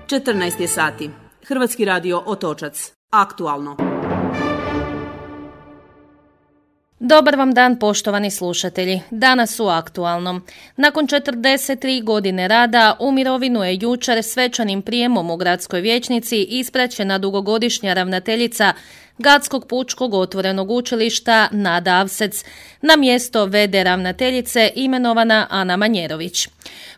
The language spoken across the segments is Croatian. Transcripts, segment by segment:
14 je sati. Hrvatski radio Otočac. Aktualno. Dobar vam dan, poštovani slušatelji. Danas u Aktualnom. Nakon 43 godine rada u mirovinu je jučer svečanim prijemom u gradskoj vijećnici ispraćena dugogodišnja ravnateljica Gradskog pučkog otvorenog učilišta Nada Avsec. Na mjesto v.d. ravnateljice imenovana Ana Manjerović.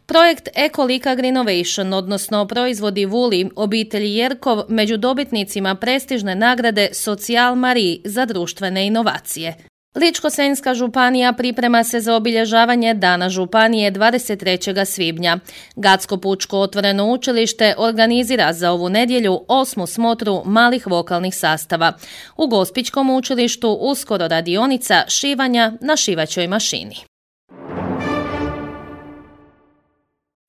Projekt Ekolika Greenovation, odnosno proizvodi Vuli obitelji Jerkov, među dobitnicima prestižne nagrade Socijal Marie za društvene inovacije. Ličko-senjska županija priprema se za obilježavanje Dana županije 23. svibnja. Gradsko pučko otvoreno učilište organizira za ovu nedjelju 8. smotru malih vokalnih sastava. U Gospićkom učilištu uskoro radionica šivanja na šivaćoj mašini.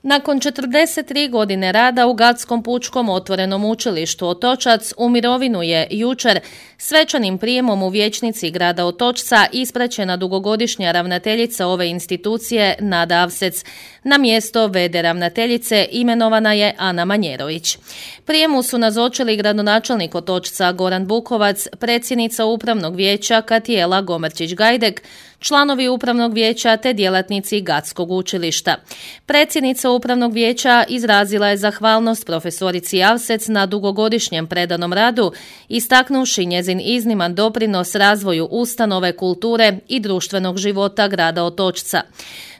Nakon 43 godine rada u Gadskom pučkom otvorenom učilištu Otočac u mirovinu je jučer svečanim prijemom u vijećnici grada Otočca ispraćena dugogodišnja ravnateljica ove institucije Nada Avsec. Na mjesto v.d. ravnateljice imenovana je Ana Manjerović. Prijemu su nazočili gradonačelnik Otočca Goran Bukovac, predsjednica upravnog vijeća Katijela Gomerčić-Gajdek, članovi upravnog vijeća te djelatnici Gadskog učilišta. Predsjednica upravnog vijeća izrazila je zahvalnost profesorici Avsec na dugogodišnjem predanom radu, istaknuvši njezin izniman doprinos razvoju ustanove kulture i društvenog života grada Otočca.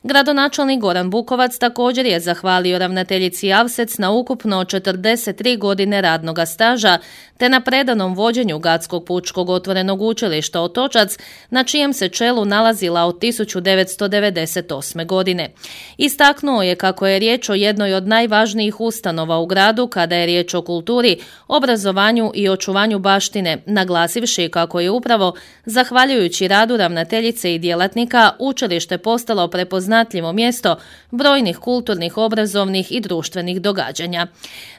Gradonačelnik Goran Bukovac također je zahvalio ravnateljici Avsec na ukupno 43 godine radnoga staža te na predanom vođenju Gradskog pučkog otvorenog učilišta Otočac, na čijem se čelu nalazila od 1998. godine. Istaknuo je kako je riječ o jednoj od najvažnijih ustanova u gradu kada je riječ o kulturi, obrazovanju i očuvanju baštine, naglasivši kako je upravo zahvaljujući radu ravnateljice i djelatnika učilište postalo prepoznatljivo mjesto brojnih kulturnih, obrazovnih i društvenih događanja.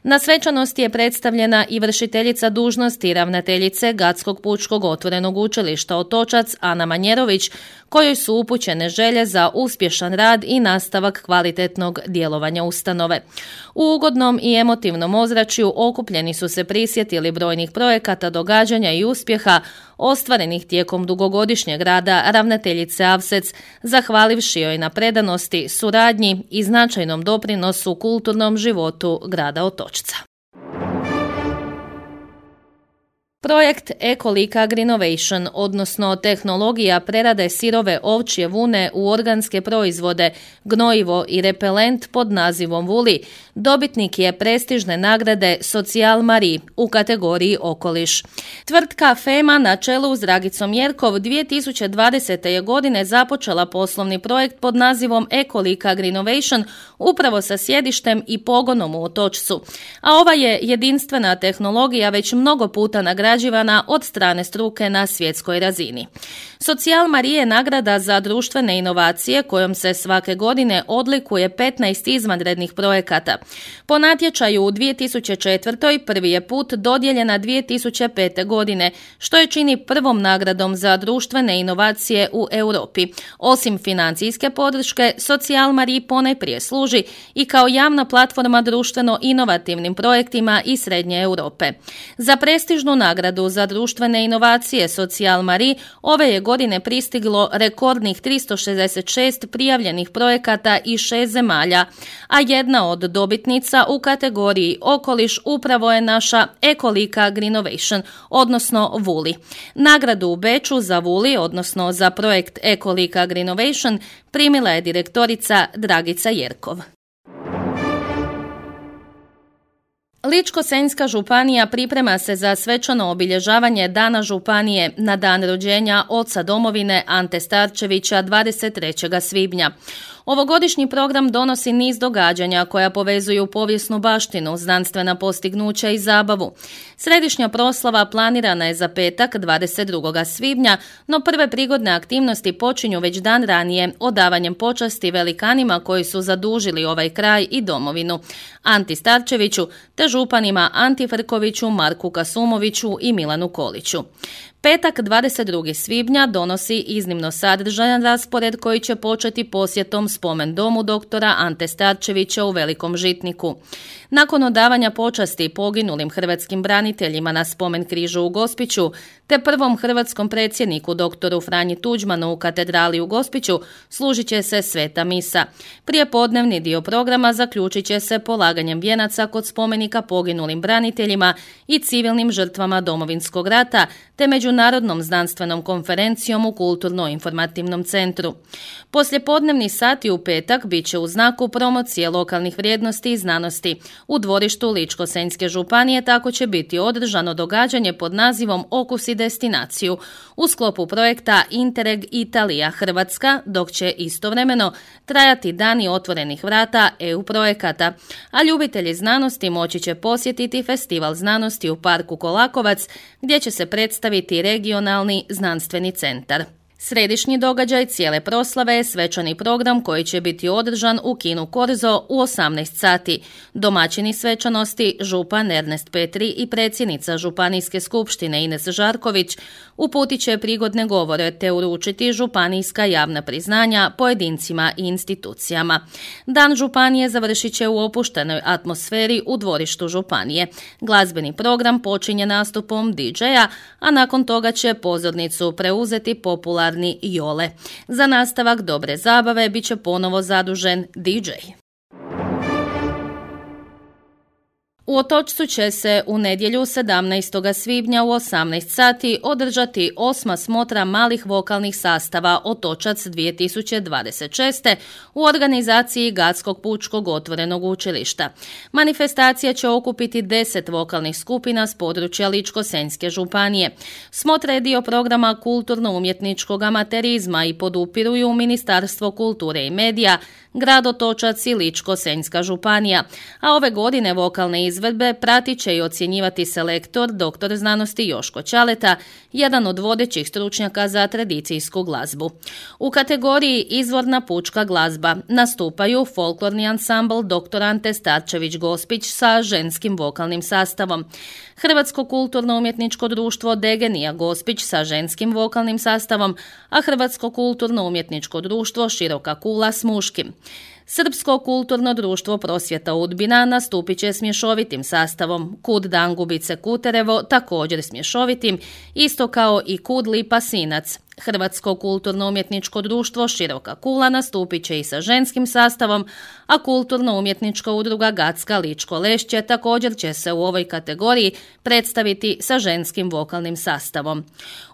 Na svečanosti je predstavljena i vršiteljica dužnosti ravnateljice Gradskog pučkog otvorenog učilišta Otočac Ana Manjerović, kojoj su upućene želje za uspješan rad i nastavak kvalitetnog djelovanja ustanove. U ugodnom i emotivnom ozračju okupljeni su se prisjetili brojnih projekata, događanja i uspjeha ostvarenih tijekom dugogodišnjeg rada ravnateljice Avsec, zahvalivši joj na predanosti, suradnji i značajnom doprinosu kulturnom životu grada Otočca. Projekt Ekolika Greenovation, odnosno tehnologija prerade sirove ovčje vune u organske proizvode, gnojivo i repelent pod nazivom Vuli, dobitnik je prestižne nagrade Socijal Marie u kategoriji Okoliš. Tvrtka FEMA na čelu s Dragicom Jerkov 2020. je godine započela poslovni projekt pod nazivom Ekolika Greenovation upravo sa sjedištem i pogonom u Otočcu. A ova je jedinstvena tehnologija već mnogo puta nagrađivana od strane struke na svjetskoj razini. Socijal Marie je nagrada za društvene inovacije kojom se svake godine odlikuje 15 izvanrednih projekata. Po natječaju u 2004. prvi je put dodijeljena 2005. godine, što je čini prvom nagradom za društvene inovacije u Europi. Osim financijske podrške, Socijal Marie ponajprije služi i kao javna platforma društveno inovativnim projektima iz Srednje Europe. Za prestižnu nagradu za društvene inovacije Socijal Marie ove je godine pristiglo rekordnih 366 prijavljenih projekata iz 6 zemalja, a jedna od dobitnica u kategoriji Okoliš upravo je naša Ekolika Greenovation, odnosno Vuli. Nagradu u Beču za Vuli, odnosno za projekt Ekolika Greenovation, primila je direktorica Dragica Jerkov. Ličko-senjska županija priprema se za svečano obilježavanje Dana županije na dan rođenja oca domovine Ante Starčevića 23. svibnja. Ovogodišnji program donosi niz događanja koja povezuju povijesnu baštinu, znanstvena postignuća i zabavu. Središnja proslava planirana je za petak 22. svibnja, no prve prigodne aktivnosti počinju već dan ranije odavanjem počasti velikanima koji su zadužili ovaj kraj i domovinu, Anti Starčeviću te županima Anti Frkoviću, Marku Kasumoviću i Milanu Koliću. Petak 22. svibnja donosi iznimno sadržajan raspored koji će početi posjetom spomen domu doktora Ante Starčevića u Velikom Žitniku. Nakon odavanja počasti poginulim hrvatskim braniteljima na spomen križu u Gospiću, te prvom hrvatskom predsjedniku doktoru Franji Tuđmanu u katedrali u Gospiću, služit će se sveta misa. Prijepodnevni dio programa zaključit će se polaganjem vijenaca kod spomenika poginulim braniteljima i civilnim žrtvama Domovinskog rata, te međunarodnom znanstvenom konferencijom u Kulturno-informativnom centru. Poslijepodnevni sati u petak bit će u znaku promocije lokalnih vrijednosti i znanosti. U dvorištu Ličko-senjske županije tako će biti održano događanje pod nazivom Okus i destinaciju u sklopu projekta Interreg Italija Hrvatska, dok će istovremeno trajati dani otvorenih vrata EU projekata, a ljubitelji znanosti moći će posjetiti Festival znanosti u parku Kolakovac, gdje će se predstaviti regionalni znanstveni centar. Središnji događaj cijele proslave je svečani program koji će biti održan u kinu Korzo u 18 sati. Domaćini svečanosti župan Ernest Petri i predsjednica Županijske skupštine Ines Žarković uputit će prigodne govore te uručiti županijska javna priznanja pojedincima i institucijama. Dan županije završit će u opuštenoj atmosferi u dvorištu županije. Glazbeni program počinje nastupom DJ-a, a nakon toga će pozornicu preuzeti popularni Jole. Za nastavak dobre zabave bit će ponovo zadužen DJ. U Otočcu će se u nedjelju 17. svibnja u 18 sati održati 8. smotra malih vokalnih sastava Otočac 2026. u organizaciji Gatskog pučkog otvorenog učilišta. Manifestacija će okupiti 10 vokalnih skupina s područja Ličko-senjske županije. Smotra je dio programa kulturno-umjetničkog amaterizma i podupiruju Ministarstvo kulture i medija, grad Otočac i Ličko-senjska županija, a ove godine vokalne izvedbe pratit će i ocjenjivati selektor dr. znanosti Joško Ćaleta, jedan od vodećih stručnjaka za tradicijsku glazbu. U kategoriji izvorna pučka glazba nastupaju folklorni ansambl dr. Ante Starčević Gospić sa ženskim vokalnim sastavom, Hrvatsko kulturno-umjetničko društvo Degenija Gospić sa ženskim vokalnim sastavom, a Hrvatsko kulturno-umjetničko društvo Široka kula s muškim. Srpsko kulturno društvo Prosvjeta Udbina nastupit će s mješovitim sastavom, Kud Dangubice Kuterevo također s mješovitim, isto kao i Kud Lipa Sinac. Hrvatsko kulturno-umjetničko društvo Široka kula nastupit će i sa ženskim sastavom, a kulturno-umjetnička udruga Gatska Ličko Lešće također će se u ovoj kategoriji predstaviti sa ženskim vokalnim sastavom.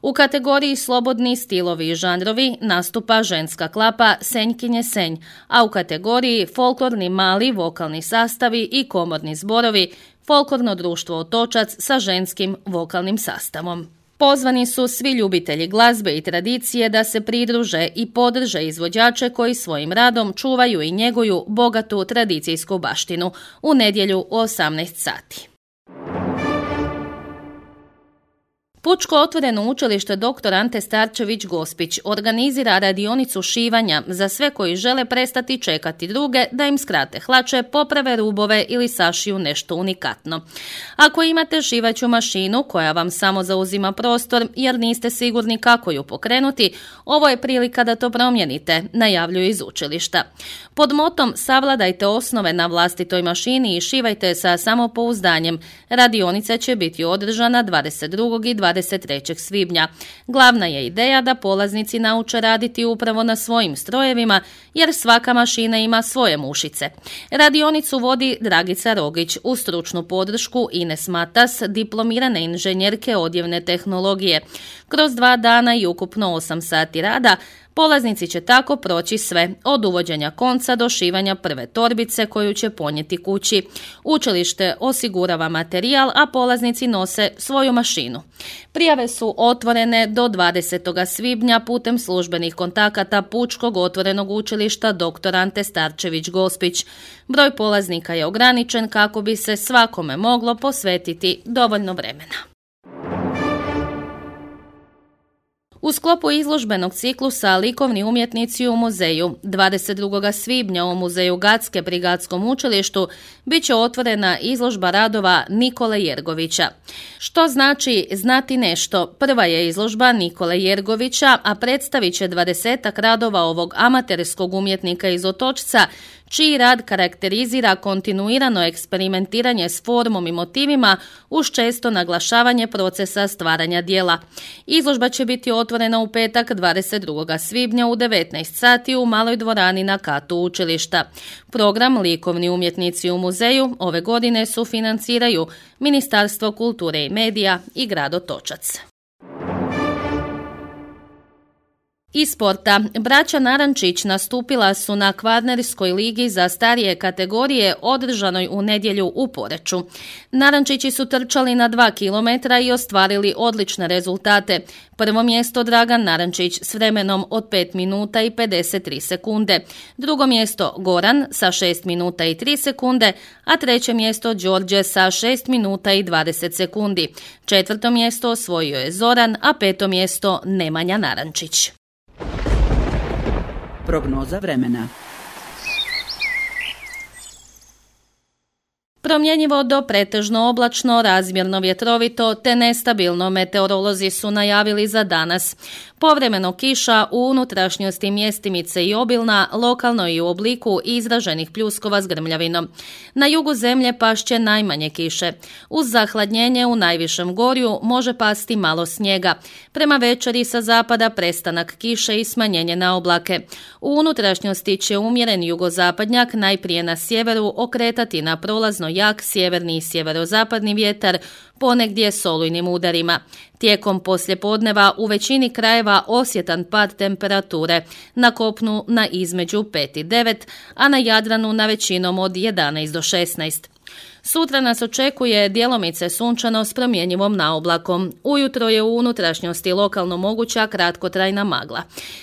U kategoriji slobodni stilovi i žanrovi nastupa ženska klapa Senjkinje Senj, a u kategoriji folklorni mali vokalni sastavi i komorni zborovi folklorno društvo Otočac sa ženskim vokalnim sastavom. Pozvani su svi ljubitelji glazbe i tradicije da se pridruže i podrže izvođače koji svojim radom čuvaju i njeguju bogatu tradicijsku baštinu u nedjelju u 18 sati. Pučko otvoreno učilište dr. Ante Starčević Gospić organizira radionicu šivanja za sve koji žele prestati čekati druge da im skrate hlače, poprave rubove ili sašiju nešto unikatno. Ako imate šivaću mašinu koja vam samo zauzima prostor jer niste sigurni kako ju pokrenuti, ovo je prilika da to promijenite, najavljuju iz učilišta. Pod motom savladajte osnove na vlastitoj mašini i šivajte sa samopouzdanjem. Radionica će biti održana 22. i 23. svibnja. Glavna je ideja da polaznici nauče raditi upravo na svojim strojevima, jer svaka mašina ima svoje mušice. Radionicu vodi Dragica Rogić uz stručnu podršku Ines Matas, diplomirane inženjerke odjevne tehnologije. Kroz 2 dana i ukupno 8 sati rada, polaznici će tako proći sve, od uvođenja konca do šivanja prve torbice koju će ponijeti kući. Učilište osigurava materijal, a polaznici nose svoju mašinu. Prijave su otvorene do 20. svibnja putem službenih kontakata Pučkog otvorenog učilišta dr. Ante Starčević Gospić. Broj polaznika je ograničen kako bi se svakome moglo posvetiti dovoljno vremena. U sklopu izložbenog ciklusa Likovni umjetnici u muzeju 22. svibnja u muzeju Gacke pri Gatskom učilištu bit će otvorena izložba radova Nikole Jergovića. Što znači znati nešto? Prva je izložba Nikole Jergovića, a predstavit će 20 radova ovog amaterskog umjetnika iz Otočca, čiji rad karakterizira kontinuirano eksperimentiranje s formom i motivima uz često naglašavanje procesa stvaranja djela. Izložba će biti otvorena u petak 22. svibnja u 19 sati u maloj dvorani na katu učilišta. Program Likovni umjetnici u muzeju ove godine sufinanciraju Ministarstvo kulture i medija i grad Otočac. Iz sporta, braća Narančić nastupila su na Kvarnerskoj ligi za starije kategorije održanoj u nedjelju u Poreču. Narančići su trčali na 2 km i ostvarili odlične rezultate. Prvo mjesto Dragan Narančić s vremenom od 5 minuta i 53 sekunde. Drugo mjesto Goran sa 6 minuta i 3 sekunde, a treće mjesto Đorđe sa 6 minuta i 20 sekundi. Četvrto mjesto osvojio je Zoran, a peto mjesto Nemanja Narančić. Prognoza vremena. Promjenjivo do pretežno oblačno, razmjerno vjetrovito te nestabilno meteorolozi su najavili za danas. Povremeno kiša u unutrašnjosti mjestimice i obilna, lokalno i u obliku izraženih pljuskova s grmljavinom. Na jugu zemlje pašće najmanje kiše. Uz zahladnjenje u najvišem gorju može pasti malo snijega. Prema večeri sa zapada prestanak kiše i smanjenje na oblake. U unutrašnjosti će umjeren jugozapadnjak najprije na sjeveru okretati na prolazno jak sjeverni i sjeverozapadni vjetar, ponegdje s olujnim udarima. Tijekom poslijepodneva u većini krajeva osjetan pad temperature, na kopnu na između 5 i 9, a na Jadranu na većinom od 11 do 16. Sutra nas očekuje djelomice sunčano s promjenjivom naoblakom. Ujutro je u unutrašnjosti lokalno moguća kratkotrajna magla.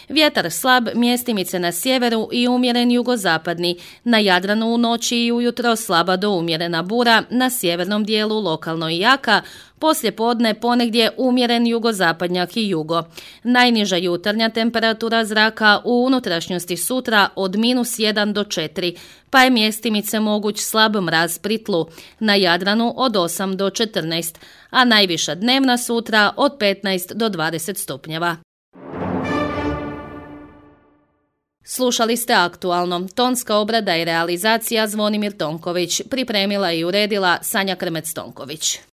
Vjetar slab, mjestimice na sjeveru i umjeren jugozapadni. Na Jadranu u noći i ujutro slaba do umjerena bura, na sjevernom dijelu lokalno i jaka, poslije podne ponegdje umjeren jugozapadnjak i jugo. Najniža jutarnja temperatura zraka u unutrašnjosti sutra od -1 do 4, pa je mjestimice moguć slab mraz pri tlu. Na Jadranu od 8 do 14, a najviša dnevna sutra od 15 do 20 stupnjeva. Slušali ste Aktualno. Tonska obrada i realizacija Zvonimir Tonković. Pripremila i uredila Sanja Krmec-Tonković.